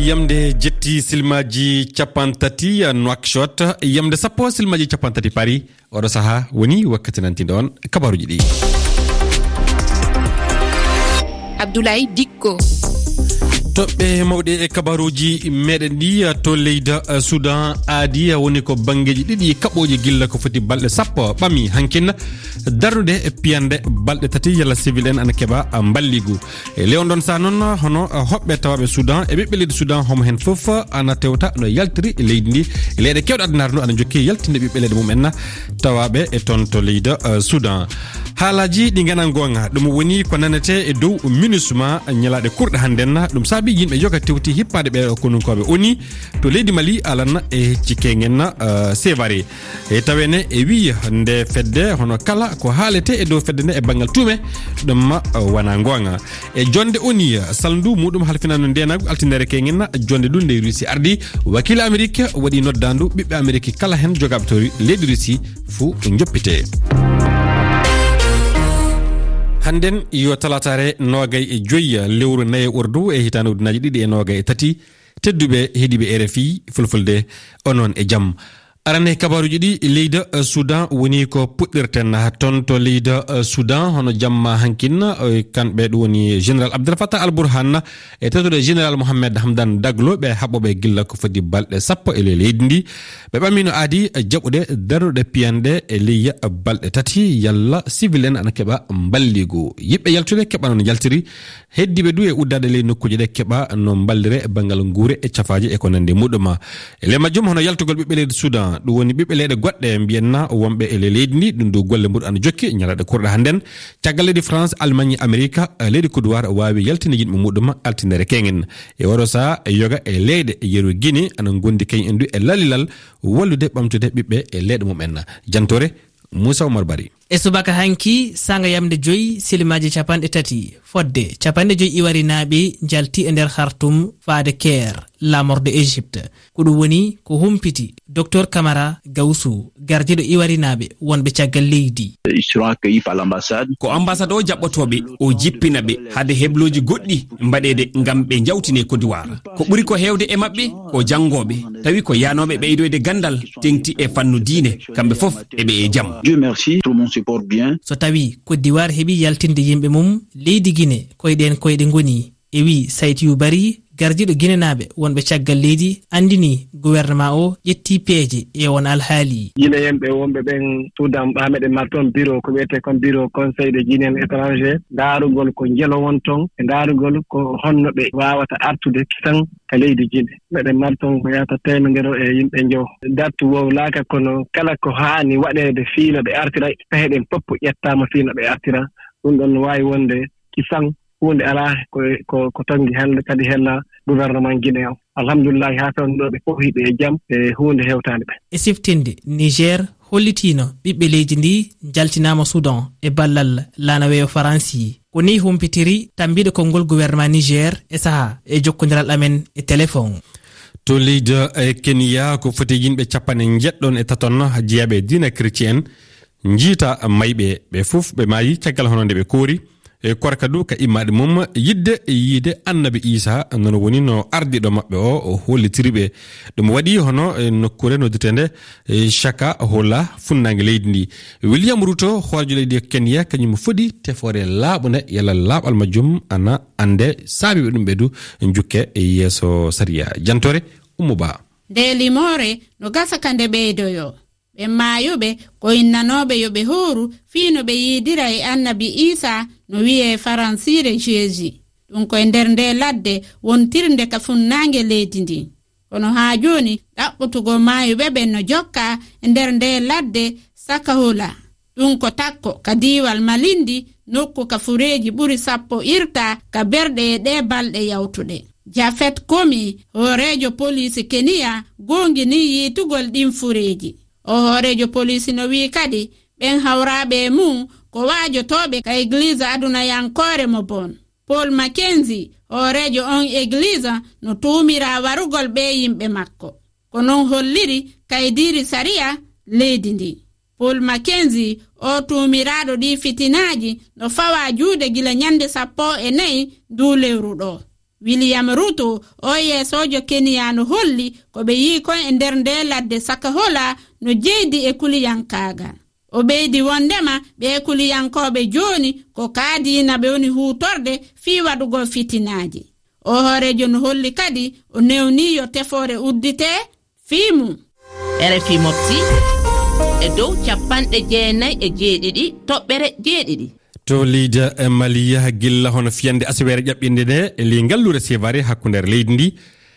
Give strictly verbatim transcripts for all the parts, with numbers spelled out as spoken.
Yamde jetti silmaaji capanɗe tati Nouakchott, yamde sappo silmaaji capanɗe tati Paris. Oɗo sahaa woni wakkati nantiiɗo on kabaaruuji ɗi. Abdoulaye Dikko. Toɓɓe mawɗe e kabaaruuji meɗen ɗi, to leydi, eh, Sudan aadi, eh, woni ko banngeeji ɗiɗi kaɓooji gilla ko foti balɗe sappo ɓami hankin, darnude e piyanɗe balɗe tati yalla civil en ana keɓa, eh, mballigu. E ley on ɗon sahaa noon, hono, eh, hoɓɓe tawaaɓe Sudan e ɓiɓɓe leydi Sudan, homo heen fof ana tewta no yaltiri leydi ndi. E leyɗe keewɗe addunaare ndu ana jokki yaltinde ɓiɓɓe leyɗe mum en tawaaɓe e toon to leydi, eh, Sudan. Haalaaji ɗi ngana goonga, ɗum woni ko nanetee e dow MINUSMA ñalaaɗe kurɗe hannden. Ɗum saabi yimɓe yoga tewti hippaade ɓe konunkooɓe ONU to leydi Mali, alan e hecci kengen, eh, Sévaré. E tawene e wiya nde fedde, hono kala ko haalete e dow fedde nde e banngal tuume, ɗum ma, eh, wana goonga. E jonde ONU, salndu muɗum halfinaano ndeenaagu altine kengen, jonde ɗum nde Russie ardi, wakiila Amerik waɗi noddaandu ɓiɓɓe Amerik kala heen jogaaɓe to leydi Russie fuu njoppite. Hannden yo talaataare noogay e joy lewru nayi ordu e hitaande ujunnaaji ɗiɗi e noogay e tati. Tedduɓe heɗiiɓe R F I Fulfulde, onon e jam. Arane kabaaruuji ɗi, leydi, eh, Sudan woni ko puɗɗirten. Toon to leydi, eh, Sudan, hono jamma hankin, eh, kamɓe ɗum woni Général Abdel Fattah Al Burhan e tawtude Général Mohamed Hamdan Daglo, ɓe haɓɓooɓe gilla ko foti balɗe sappo e ley leydi ndi. Ɓe ɓamino aadi, eh, jaɓude darnude piyanɗe e ley balɗe tati, yalla civil en ana keɓa mballigu. Yiɗɓe yaltude keɓa noon yaltiri. Heddiiɓe du e uddaade ley nokkuuje ɗe keɓa no mballire e banngal nguure e cafaaje e ko nanndi muɗum. E ley majjum hono yaltugol ɓiɓɓe leydi Sudan, ɗum woni ɓiɓɓe leyɗe goɗɗe mbiyen na wonɓe e ley leydi ndi, ɗum du golle muɗum ana jokki ñalaaɗe kurɗe hannden. Caggal leydi France, Allemagne, Amerika, leydi Côte d'Ivoire waawi yaltinde yimɓe muɗum altine kengen. E oɗo sahaa e yoga e leyɗe yeru Guinée ana ngondi kañum en du e lalilal wallude ɓamtude ɓiɓɓe e leyɗe mum en. Jantoore Moussa Oumar Bari. E subaka hanki, sanga yamde joy, silimaaji capanɗe tati, fodde capanɗe joy iwarinaaɓe njalti e nder Khartoum faade Caire, laamorde Égypte. Ko ɗum woni ko humpiti Docteur Camara Gawsu, gardiiɗo iwarinaaɓe wonɓe caggal leydi. Ils seront accueillis par l'ambassade. Ko ambassade o jaɓɓotooɓe, o jippina ɓe hade hebloji goɗɗi mbaɗeede ngam ɓe njawtine Côte d'Ivoire. Ko ɓuri ko heewde e maɓɓe ko janngooɓe, tawi ko yaanooɓe ɓeydoyde ganndal teŋti e fannu diine, kamɓe fof eɓe e jam. Dieu merci, tout le monde se porte bien. So tawi Côte d'Ivoire heɓi yaltinde yimɓe mum leydi Guinée, koyɗe en koyɗe ngoni, e wi Saïd Youbari, gardiiɗo Guinénaaɓe wonɓe caggal leydi, anndini gouvernement o ƴetti peeje e on alhaali. Guinéen ɓe wonɓe ɓen Soudan, ɓaa meɗen mari toon bureau, ko wiyetee kon bureau Conseil des Guinéens étrangers, ndaarugol ko njelo won toon, e ndaarugol ko honno ɓe waawata artude kisan ka leydi Guinée. Meɗen mari toon ko yahata teemedere e yimɓe njowo. Date wowlaaka, kono kala ko haani waɗeede fii no ɓe artira, pehe ɗen fof ƴettaama fii no ɓe artira. Ɗum ɗon no waawi wonde kisan, huunde alaa, ko, ko, ko tonngi helde, kadi hella gouvernement Guinée o. Alhamdulillahi, haa fewndo ɗo ɓe fof hiɓe e jam, e huunde hewtaani ɓe. E siftinde, Niger hollitiino ɓiɓɓe leydi ndi njaltinaama Soudan e ballal laana weeyo Faransi. Ko nii humpitiri tambiiɗo konngol gouvernement Niger e saha e jokkondiral amen e téléphone. To leydi, eh, Kenya, ko foti yimɓe capanɗe njeɗɗon e taton jeyaaɓe diina chrétien njiita mayɓe. Ɓe fof ɓe maayi caggal hono nde ɓe koori. E korka du ka immaade mum yiɗde yiide annabi Isa, noon woni no ardiiɗo maɓɓe o, o hollitiri ɓe. Ɗum waɗi hono e nokkuure noddirteende, e Shaka Hola, funnaange leydi ndi. William Ruto, hooreejo leydi Kenya, kañum fodi tefoore laaɓunde, yalla laaɓal majjum ana annde, saabi ɓe ɗum ɓe du njukke e yeeso sariya. Jantoore Ummu Ba. Nde limoore no gasa ka nde ɓeydoyo. Ɓen maayuɓe ko innanooɓe yo ɓe hooru fii no ɓe yiidira e annabi Iisaa no wi'ee faransiire Jeezi. Ɗun ko e nder ndee ladde wontirnde ka funnaange leydi ndin. Kono haa jooni ɗaɓɓutugol maayuɓe ɓen no jokkaa e nder ndee ladde Sakahola. Ɗun ko takko ka diiwal Malindi, nokku ka fureeji ɓuri sappo irtaa ka berɗe e ɗee balɗe yawtuɗe. Jafet Komi, hooreejo poliisi Keniya, goonginii yiitugol ɗin fureeji. Oo hooreejo poliisi no wi'i kadi, ɓen hawraaɓe e mun ko waajotooɓe ka egiliiza adunayankoore mo bon. Paul Mackenzie, hooreejo on egiliiza, no tuumiraa warugol ɓee yimɓe makko. Ko non holliri kaydiiri sariya leydi ndin. Paul Mackenzie, oo tuumiraaɗo ɗii fitinaaji, no fawaa juude gila ñannde sappo e nayi nduu lewru ɗoo. William Ruto, oo yeesoojo Keniya, no holli ko ɓe yiyi kon e nder ndee ladde Sakahola no jeydi e kuliyankaagal. O ɓeydi wonndema ɓee kuliyankooɓe jooni ko kaadiina ɓe woni huutorde fii waɗugol fitinaaji. Oo hooreejo no holli kadi o newnii yo tefoore udditee fii mum. R F I Mofti e dow capanɗe jeenayi e jeeɗiɗi toɓɓere jeeɗiɗi. To leydi Mali, gilla hono fiyannde asaweere ƴaɓɓiinde nde e ley ngalluure Sévaré hakkunde leydi ndi,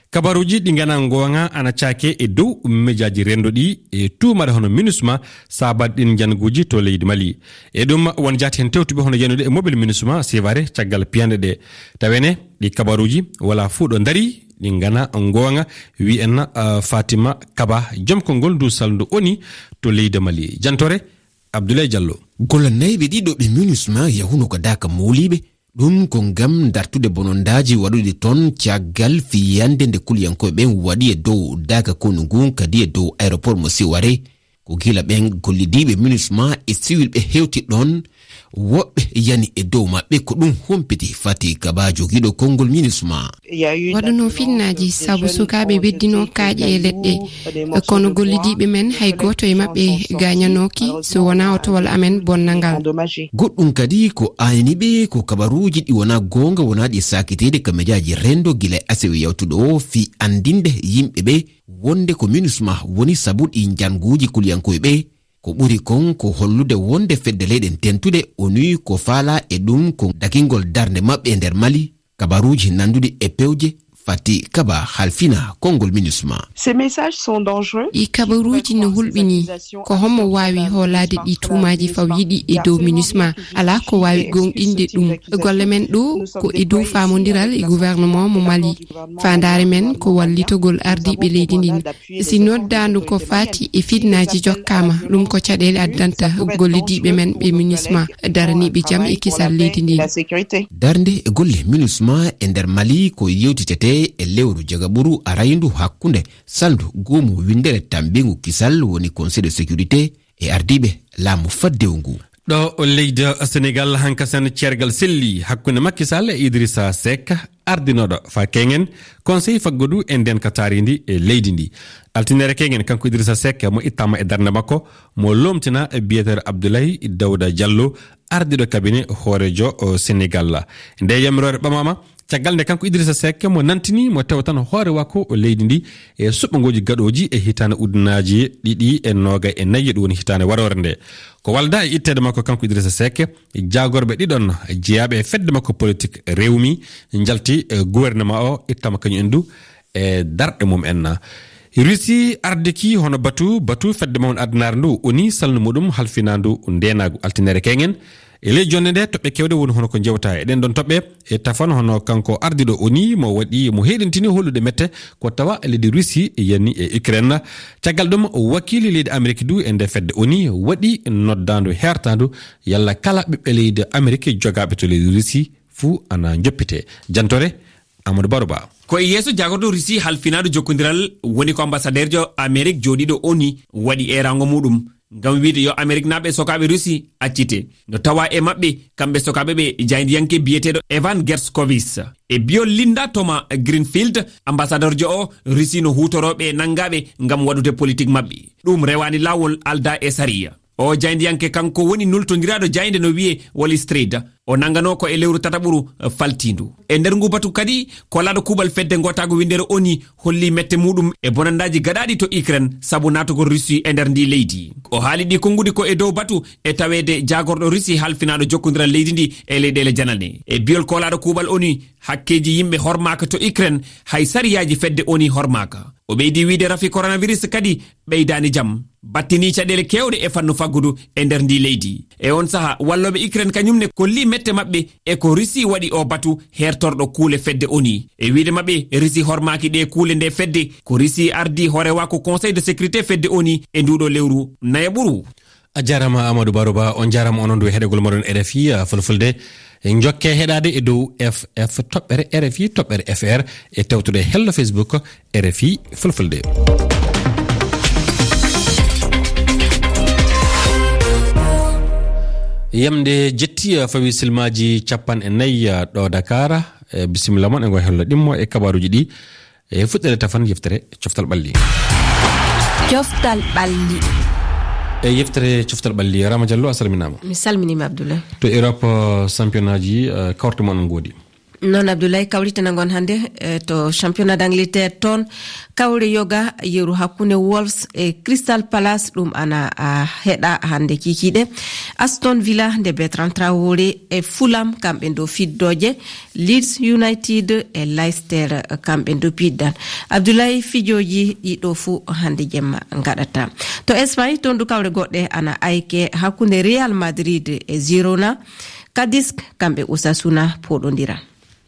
kabaruuji ɗi nganaa ngoonga ana caake e dow mejaaji renndo ɗi e tuumaade hono MINUSMA saabaade ɗin njannguuji to leydi Mali. E ɗum won jaati heen tewtuɓe hono yiyannde e mobel MINUSMA Sévaré caggal piyanɗe ɗe. Tawene ɗi kabaruuji walaa fof ɗo ndarii, ɗi nganaa ngoonga, wiyi en, ah, Fatima Kaba, joom konngol ndu salndu ONI to leydi Mali. Jantore Abdoulaye Diallo. Gollannayɓe ɗiɗo ɓe MINUSMA yahuno ko daaka mooliiɓe. Ɗum ko ngam dartude bonondaaji waɗuɗi toon caggal fiyannde nde kuliyankooɓe ɓen waɗi e dow daaka konu ngun, kadi e dow aéroport mo Sévaré. Ko gila ɓen gollidiiɓe MINUSMA e siwilɓe hewti ɗon. Woɓɓe yani e dow maɓɓe, ko ɗum humpiti Fati Kaba, jogiiɗo konngol MINUSMA. Waɗuno finnaaji sabu sukaaɓe weddino kaaƴe e leɗɗe, kono gollidiiɓe men hay gooto e maɓɓe gaañanooki, so wonaa otowal amen bonnangal. Goɗɗum kadi ko aynii ɓe ko kabaruuji ɗi wonaa goonga, wonaa ɗi saakiteede ka mejaaji renndo gila e asewe yawtuɗo o, fii anndinde yimɓe ɓe wonde ko MINUSMA woni sabu ɗi njannguuji kuliyankooɓe ɓe. Ko ɓuri kon ko hollude wonde Fedde Leyɗe Dentuɗe, ONU, ko faalaa e ɗum ko dakingol darnde maɓɓe e nder Mali. Kabaruuji nannduɗi e pewje Fati Kaba halfina konngol MINUSMA. Ces messages sont dangereux. Ɗi kabaruuji no hulɓinii. Ko hommo waawi hoolaade ɗi tuumaaji fawyiɗi e dow MINUSMA? Alaa ko waawi goongɗinde ɗum. Golle men ɗoo ko e dow faamondiral e gouvernement mo Mali. Faandaare men ko wallitogol ardiiɓe leydi ndin. Si noddaandu ko faati e fitnaaji jokkaama, ɗum ko caɗeele addanta gollidiiɓe men ɓe MINUSMA daraniiɓe jam e kisal leydi ndin. Darnde e golle MINUSMA e nder Mali ko yewtitetee e lewru jagaɓuru arayndu hakkunde salndu goomu winndere tammbingu kisal woni Conseil de sécurité e ardiiɓe laamu faddewu ngu. Ɗo leydi Senegal, hankasen ceergal selli hakkunde Macky Sall e Idrissa Seck, ardinooɗo faa keŋen Conseil faggudu e ndeen ka taariindi e leydi ndi. Altinere keŋen kanko Idrissa Seck mo ittaama e darnde makko, mo loomtina e biyeteeɗo Abdoulaye Daouda Diallo, ardiiɗo cabinet hooreejo, o, Senegal. Nde yamiroore ɓamaama, caggal nde kanko Idrissa Seck mo nantini mo tewtan hoore wakko o leydi ndi e suɓngooji gaɗooji e hitaande ujunaaji ɗiɗi e noogay e nayi, ɗum woni hitaande waroore nde. Ko walda e itteede makko kanko Idrissa Seck, jaagorɓe ɗiɗon jeyaaɓe e fedde makko politik Rewmi njalti e gouvernement o ittama kañum en du e darɗe mum en. Russie ardiki hono batu, batu fedde mawne addunaare ndu ONU salnu muɗum halfinaandu ndeenaagu altinere keŋen. E ley jonnde nde, toɓɓe kewɗe woni hono ko jewta e ɗen ɗon toɓɓe. E tafan hono kanko ardiɗo ONU mo waɗi, mo heɗintini hollude mette ko tawa leydi Russie yani e Ukraine. Caggal ɗum, wakiili leydi Ameriki du e nde fedde ONU waɗi noddaandu hertaandu yalla kala ɓiɓɓe leydi Ameriki jogaaɓe to leydi Russie fuu ana joppite. Jantore Amadou Baro Ba. Ko e yeeso jaagorɗo Russie halfinaandu jokkondiral woni ko ambassadeerjo Amerik jooɗiiɗo ONU waɗi eeraango muɗum ngam wiide yo Ameriknaaɓe sokaaɓe Russie accite. No tawa e maɓɓe kamɓe sokaaɓe ɓe jaayndiyanke biyeteeɗo Evan Gershkovich. E biyol Linda Thomas Greenfield, ambassadeerjo o, Russie no huutorooɓe nanngaaɓe ngam waɗude politik maɓɓe. Ɗum rewaani laawol, aldaa e sariya. O jaayndiyanke kanko woni nultondiraaɗo jaaynde no wiyee Wall Street. O nannganoo ko e lewru tataɓuru faltiindu. E nder ngu batu kadi, kolaaɗo kuuɓal fedde ngootaagu winndere ONU holli mette muɗum e bonandaaji gaɗaaɗi to Ukraine sabu naatugol Russie e nder ndii leydi. O haali ɗii konnguɗi ko e dow batu e taweede jaagorɗo Russie halfinaaɗo jokkondiral leydi ndi e leyɗeele janane. E biyol kolaaɗo kuuɓal ONU, hakkeeji yimɓe hormaaka to Ukraine, hay sariyaaji fedde ONU hormaaka. O ɓeydi wiide rafi coronavirus kadi ɓeydaani jam, battini caɗeele keewɗe e fannu faggudu e nder ndii leydi. E on saha, wallooɓe Ukraine kañum ne kolli mette maɓɓe e ko Russie waɗi o batu hertorɗo kuule fedde ONU. E wiide maɓɓe, Russie hormaaki ɗee kuule nde fedde, ko Russie ardi hoorewaaku Conseil de sécurité fedde ONU e nduuɗo lewru nayaɓuru. A jaaraama Amadou Baro Ba, on jaaraama onon du e heɗegol moɗon R F I, ah, Fulfulde. Njokke heɗaade e dow F F toɓɓere R F I toɓɓere F R e tewtude hello Facebook R F I Fulfulde. Yamde jetti, ah, fawi silmaaji capanɗe nayi, ah, ɗo Dakar. E bisimilla mon e ngo hello ɗimmo e kabaruuji ɗi. E fuɗɗere tafan yeftere coftal ɓalli. Coftal ɓalli. E yeftere coftal ɓalli, Rama Diallo, a salminaama. Mi salminiima, Abdoulaye. To Europe, eh, championnat ji, eh, kawrte mon ngoodi. Noon, Abdoulaye, kawrite na ngon hannde, eh, to championnat d'Angleterre toon. Kawre yoga yeru hakkunde Wolves e Crystal Palace, ɗum ana, ah, heɗa hannde kikiiɗe. Aston Villa nde Bertrand Traoré e Fulham, kamɓe ndo fiddooje. Leeds United e Leicester, kamɓe ndo piddan. Abdoulaye, fijooji ɗiɗo fuu hannde jemma ngaɗata. To Espagne, toon du kawre goɗɗe ana ayke hakkunde Real Madrid e Girona. Cadiz, kamɓe Osasuna poɗondira.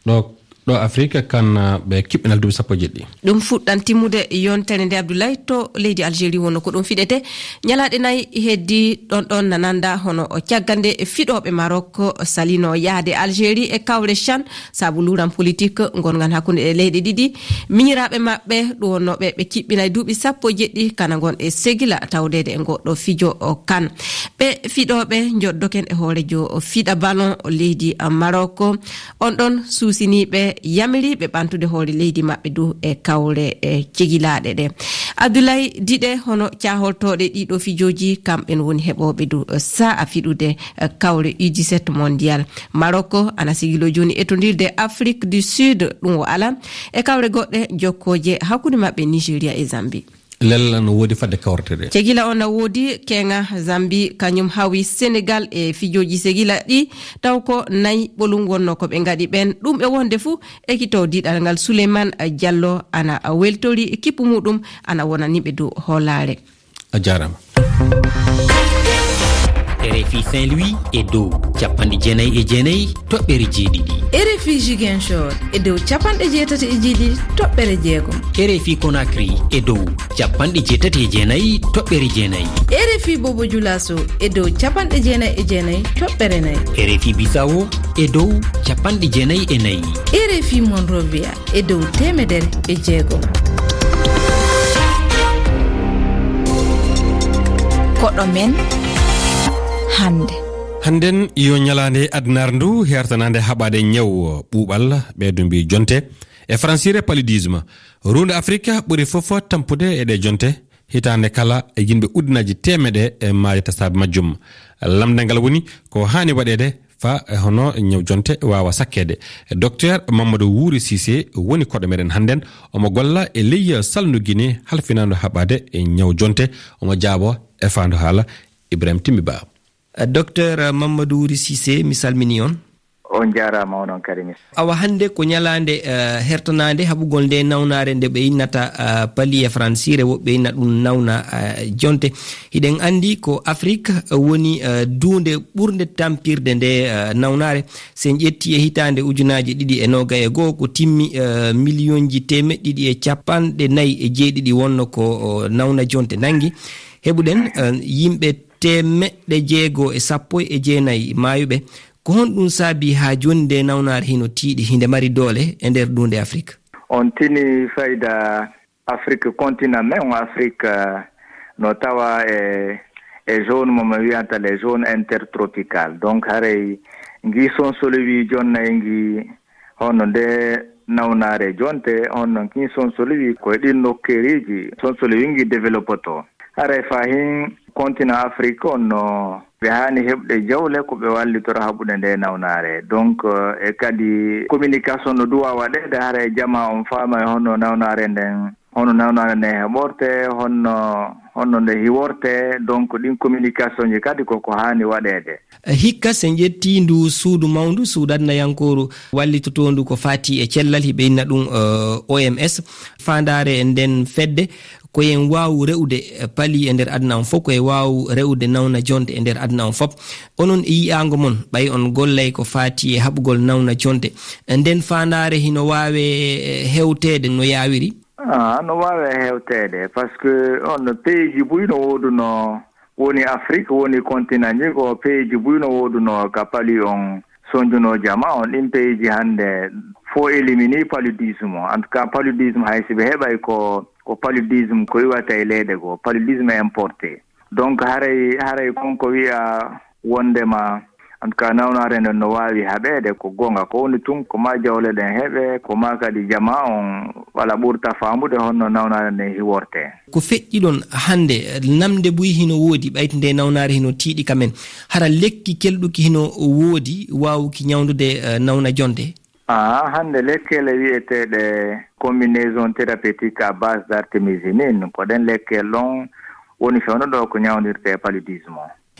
Ɗo, ɗo Afrique kan, ah, ɓe kiɓɓinal duuɓi sappo e jeɗɗi. Ɗum fuɗɗan timmude yontere nde, Abdoulaye, to leydi Algérie wonno ko ɗum fiɗete. Ñalaaɗe nayi heddi ɗon ɗon na nanda hono o caggal nde fiɗooɓe Maroc salino yahde Algérie e kawre chan sabu luuran politique ngongan hakkunde e leyɗe ɗiɗi. Miñiraaɓe maɓɓe ɗum wonnooɓe ɓe kiɓɓinay duuɓi sappo e jeɗɗi kana ngon e segila tawdeede e ngoɗɗo fijo o kan. Ɓe fiɗooɓe njoddoken e hoorejo fiɗa ballon leydi Maroc. On ɗon suusiniiɓe yamiriiɓe ɓantude hoore leydi maɓɓe du e kawre, e cegilaaɗe ɗe. Abdoulaye, diɗe hono caaholtooɗe ɗiɗo fijooji, kamɓen woni heɓooɓe du sa'a fiɗude, eh, kawre U dix-sept mondial. Maroc ana sigilo jooni etondirde Afrique du Sud, ɗum o ala e kawre goɗɗe jokkooje hakkunde maɓɓe Nigeria e Zambie. Lella no woodi fadde kawrete ɗe. Cegila on na woodi, keŋa Zambie, kañum hawi Senegal e fijooji segila ɗi, taw ko nayi ɓolum wonno ko ɓe ngaɗi ɓen. Ɗum e wonde fuu, ekito diɗal ngal Souleymane Diallo ana weltori kippu muɗum, ana wonani ɓe dow hoolaare. A jaaraama. R F I Saint-Louis e dow capanɗe jeenayi e jeenayi toɓɓere jeeɗiɗi. R F I Ziguinchor e dow capanɗe jeetati e jeeɗiɗi toɓɓere jeegom. R F I Conakry e dow capanɗe jeetati e jeenayi toɓɓere jeenayi. R F I Bobo Dioulasso e dow capanɗe jeenayi e jeenayi toɓɓere nayi. R F I Bissau e dow capanɗe jeenayi e nayi. R F I Monrovia e dow teemedere e jeegom. Koɗo men hannde. Hannden yo ñalaande addunaare ndu hertanaande haɓaade ñaw ɓuuɓal, ɓe du mbii jonte e faransiire paludisme. Ruunde Afrika ɓuri fof tampude e ɗe jonte. Hitaande kala, e yimɓe ujunaaji teemeɗe e maayi tasaaɓe majjum. Lamnde ngal woni ko haani waɗeede faa e hono ñaw jonte waawa sakkeede. Docteur Mamadou Wuri Cissé woni koɗo meɗen hannden. Omo golla e ley salndu Guinée halfinaandu haɓaade e ñaw jonte. Omo jaabo e faandu haala Ibrahim Timbi Ba. Eh, Docteur Mamadou Wuri Cissé, mi salmini on. On jaaraama, onon kadi mi. Awa hannde ko ñalaande, eh, hertanaande haɓugol nde nawnaare nde ɓe innata, eh, pali e faransiire, woɓɓe inna ɗum nawna, eh, jonte. Hiɗen anndi ko Afrik, eh, woni, eh, duunde ɓurnde tampirde nde, eh, nawnaare. So en ƴetti e hitaande ujunaaji ɗiɗi e noogay e goo, ko timmi, eh, miliyonji teemeɗɗe ɗiɗi e capanɗe nayi e jeeɗiɗi wonno ko, o, nawna jonte nanngi. Heɓuɗen, eh, yimɓe teemeɗɗe jeego e sappo e jeenayi maayuɓe. Ko honɗum saabii haa jooni nde nawnaare hino tiiɗi, hinde mari doole e nder duunde Afrik? On tini fayda Afrik, continent men on Afrik, eh, no tawa e, e zone mo mi wiyanta les zones intertropicales. Donc haray ngi sonsolowi jonnay ngi hono nde nawnaare jonte, hono ngi sonsolowi ko e ɗin nokkeeriji sonsolowi ngi développotoo. Haray fahin continent Afrik on no ɓe haani heɓde jawle ko ɓe wallitora haɓude nde nawnaare. Donc, eh, e kadi communication no duwa waɗeede, hara e jamaa on faama e honno nawnaare nden, honno nawnaare nden heɓorte, honno, honno nde hiworte. Donc, ɗin communication ji kadi ko ko haani waɗeede. Hikka, so en ƴetti ndu suudu mawndu, suudu adnayankooru wallitotoondu ko faati e cellal, hiɓe inna ɗum, eh, O M S, faandaare e nden fedde, ko en waawu re'ude, eh, pali e nder aduna on fof, ko en waawu re'ude nawna jonte e nder aduna on fof. Onon e yi'aango mon, ɓay on gollay ko faati e haɓugol nawna jonte, nden faandaare hino waawe, eh, hewteede no yaawiri? Ah, no waawe hewteede, parce que on peeji buy no woodunoo, woni Afrik, woni continent ji, ko peeji buy no woodunoo ka pali on sonjunoo jama on. Ɗin peeji hannde fof élimini paludisme. En tout cas, paludisme hay si ɓe heɓay ko, ko paludisme ko iwata e leyɗe goo, paludisme importé. Donc, haray, haray kon ko wi'a wondema En tout cas, nawnaare nden no waawi haɓeede, ko goonga. Ko woni tun, ko maa jawle ɗen heɓe, ko maa kadi jamaa on wala ɓurta faamude honno nawnaare nden hiwortee. Ko feƴƴi ɗon hannde, namde buy hino woodi, ɓayti nde nawnaare hino tiiɗi ka men. Hara lekki kelɗuki hino woodi, waawuki ñawndude, eh, nawna jonte? Aa, hannde lekkele wi'eteeɗe combinaison thérapeutique à base d'artémisinine, ko ɗen lekkele ɗon woni fewndo ɗo ko ñawndirtee paludisme.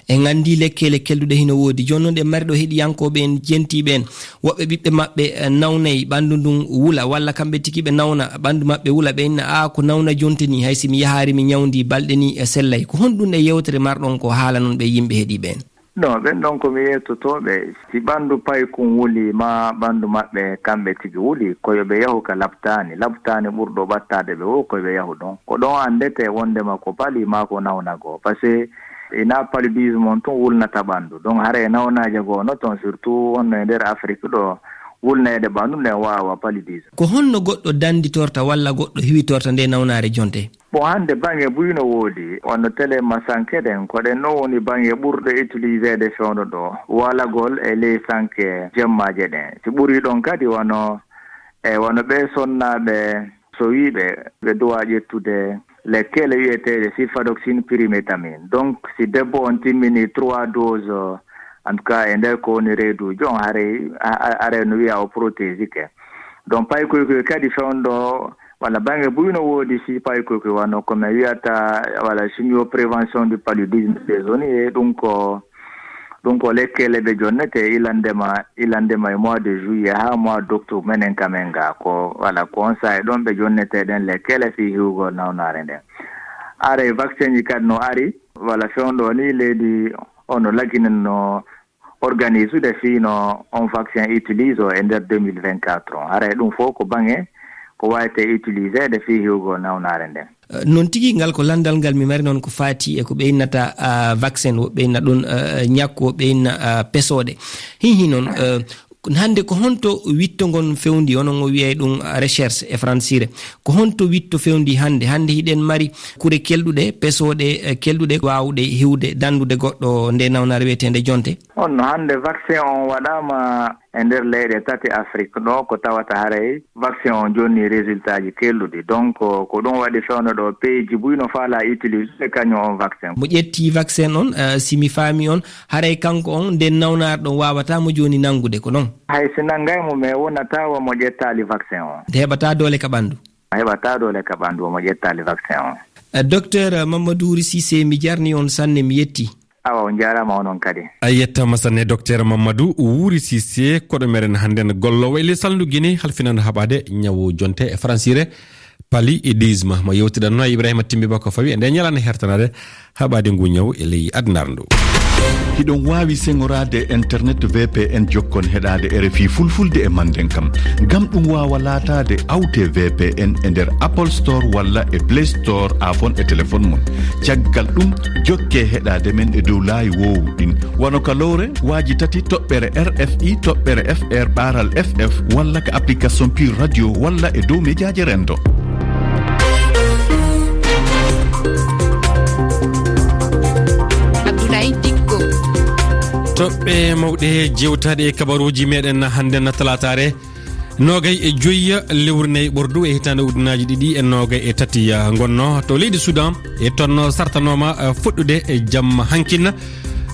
En anndi lekkele kelɗuɗe hino woodi. Jooni non, ɗe mari ɗo heɗiyankooɓe en, jentiiɓe en, woɓɓe ɓiɓɓe maɓɓe, eh, nawnay, ɓanndu ndun wula, walla kamɓe tigi ɓe nawna, ɓanndu maɓɓe wula, ɓe inna, "Aa, ko nawna jonte ni, hay si mi yahaari mi ñawndi balɗe ni e sellay." Ko honɗun e yewtere marɗon ko haala non ɓe yimɓe heɗiiɓe en? No, ɓen ɗon ko mi yettotooɓe, si ɓanndu paykun wuli, maa ɓanndu maɓɓe kamɓe tigi wuli, ko yo ɓe yahu ka laptaani. Laptaani ɓurɗo ɓattaade ɓe o, ko yo ɓe yahu ɗon. Ko ɗon anndete wonndema ko pali maa ko nawna goo. Parce que ina paludisme on tun wulnata ɓanndu. Donc, haray nawnaaje goo no ton, surtout wonno e nder Afrik ɗo, wulneede ɓanndu nden waawa paludisme. Ko honno goɗɗo danditorta walla goɗɗo hiwitorta nde nawnaare jonte? Bon, hannde baŋŋe buy no woodi, wano tele ma sanke ɗen, ko ɗen non woni baŋŋe ɓurɗe utiliseede fewndo ɗo, walagol e ley sanke jemmaaje ɗen. Si ɓuri ɗon kadi wano, e wano ɓe sonnaaɓe so wiiɓe, ɓe duwa ƴettude lekkele wi'eteeɗe sulfadoxine pyrimétamine. Donc, si debbo on timmini trois doses, en tout cas, e nder ko woni reeduuji on, haray, a-, a-, haray no wi'a o protégike. Donc, paykoy koy kadi fewndo, walla baŋŋe buy no woodi si paykoy koy wano ko mi wi'ata, walla chimio prévention du paludisme saisonnier, ɗum ko, ɗum ko lekkele ɓe jonnete ilandema, ilandema e mois de juillet haa mois d'octobre menen kamen ga ko, walla ko on saa'i ɗon ɓe jonnete ɗen lekkele fii hiwgol nawnaare nden. Haray vaccin ji kadi no ari, walla fewndo ni leydi on no laginanno organisude fii no on vaccin utilise o e nder deux mille vingt-quatre on. Haray ɗum fof ko baŋŋe ko waawetee utiliseede fii hiwgol nawnaare nden. Eh, non tigi, ngal ko lanndal ngal mi mari non ko faati e ko ɓe innata, ah, vaccin, woɓɓe inna ɗum, eh, ñakku, woɓɓe inna, ah, pesooɗe. Hihi non, eh, hannde ko honto witto ngon fewndi, onon o wi'ay ɗum recherche e fransire. Ko honto witto fewndi hannde? Hannde hiɗen mari kure kelɗuɗe, pesooɗe, eh, kelɗuɗe waawuɗe hiwde, dandude goɗɗo nde nawnaare wi'eteende jonte? On no hannde vaccin on waɗaama e nder leyɗe tati Afrik ɗo, ko tawata haray vaccin on jonni résultat ji kelɗuɗi. Donc, ko ɗum waɗi fewndo ɗo, pays ji buy no faala utiliser kañum on vaccin. Mo ƴetti vaccin on, eh, si mi faami on, haray kanko on nden nawnaare ɗon waawata mo jooni nangude, ko non? Hay si nangay mo, mais wonata wa mo ƴettaali vaccin on. Nde heɓata doole ka ɓanndu. A heɓata doole ka ɓanndu mo ƴettaali vaccin on. Eh, Docteur Mamadou Wuri Cissé, mi jarni on sanne, mi yetti. Awa, on jaaraama onon kadi. A yettaama sanne, Docteur Mamadou Wuri Cissé, koɗo meɗen hannden golloowo e ley salndu Guinée, halfinanɗo haɓaade ñawu jonte e fransire, paludisme. Mo yewtiɗanno e Ibrahima Timbi Bako Fawi e nde ñalande hertanaade haɓaade ngu ñawu e ley adunaaru ndu. Hiɗon waawi seŋoraade e internet V P N jokkon heɗaade R F I Fulfulde e Mandenkam. Ngam ɗum waawa laataade, awtee V P N e nder Apple Store walla e Play Store, iPhone e telefoŋ mon. Caggal ɗum, jokkee heɗaade men e dow laayi woowuɗin, wano ka lowre, waaji tati, toɓɓere R F I, toɓɓere F R, ɓaaral F F, walla ka application Pure Radio, walla e dow mejaaje renndo. Abdoulaye Dicko. Toɓɓe mawɗe jeewtaaɗe e kabaruuji meɗen hannden talaataare, noogay e joyi lewru nay ɓordu e hitaande ujunaaji ɗiɗi e noogay e tati, ah, ngonno to leydi Sudan, e toon sartanooma, ah, fuɗɗude e jamma hankin.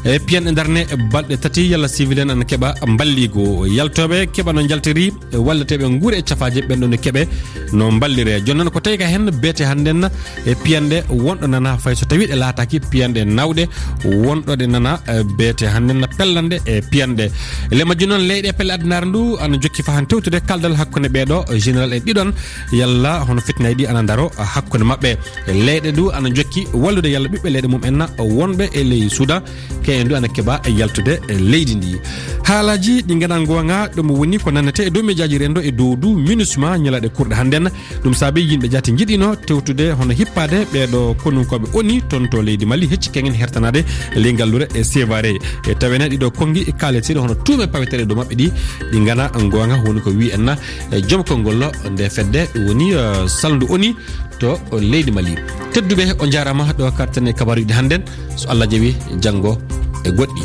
E piyanɗe darne balɗe tati, yalla civil en ana keɓa mballigo. Yaltooɓe keɓa no njaltiri, e walleteeɓe nguure e cafaaje ɓen ɗon e keɓe no mballire. Jooni noon ko tawi ka heen beete hannden e piyanɗe wonɗo nana, fay so tawi ɗe laataaki piyanɗe nawɗe, wonɗo ɗe nana, eh, beete hannden pellanɗe e piyanɗe. Le majji noon leyɗe pelle addunaare ndu ana jokki fahan tewtude kaldal hakkunde ɓeeɗo général en ɗiɗon, yalla hono fitnaaji ɗi ana ndaro hakkunde maɓɓe. Leyɗe ndu ana jokki wallude yalla ɓiɓɓe leyɗe mum en wonɓe e ley Sudan, kayen ndu ana keɓa yaltude leydi ndi. Haalaaji ɗi ngana ngoonga, ɗum woni ko nannete e dow mejaaji renndo e dow du MINUSMA ñalaaɗe kurɗe hannden. Ɗum saabi yimɓe jaati njiɗino tewtude hono hippaade ɓeeɗo konunkooɓe ONU toon to leydi Mali, hecci kaŋŋen hertanaade ley ngallure e Sévaré. E tawene ɗiɗo konngi kaaleteeɗi hono tuume paweteeɗe dow maɓɓe ɗi, ɗi ngana ngoonga, woni ko wi'i en na e joom konngol nde fedde, ɗum woni, eh, salndu ONU to leydi Mali. Tedduɓe, on njaaraama ɗo karten e kabaruuji hannden. So Allah jaɓi, janngo e goɗɗi.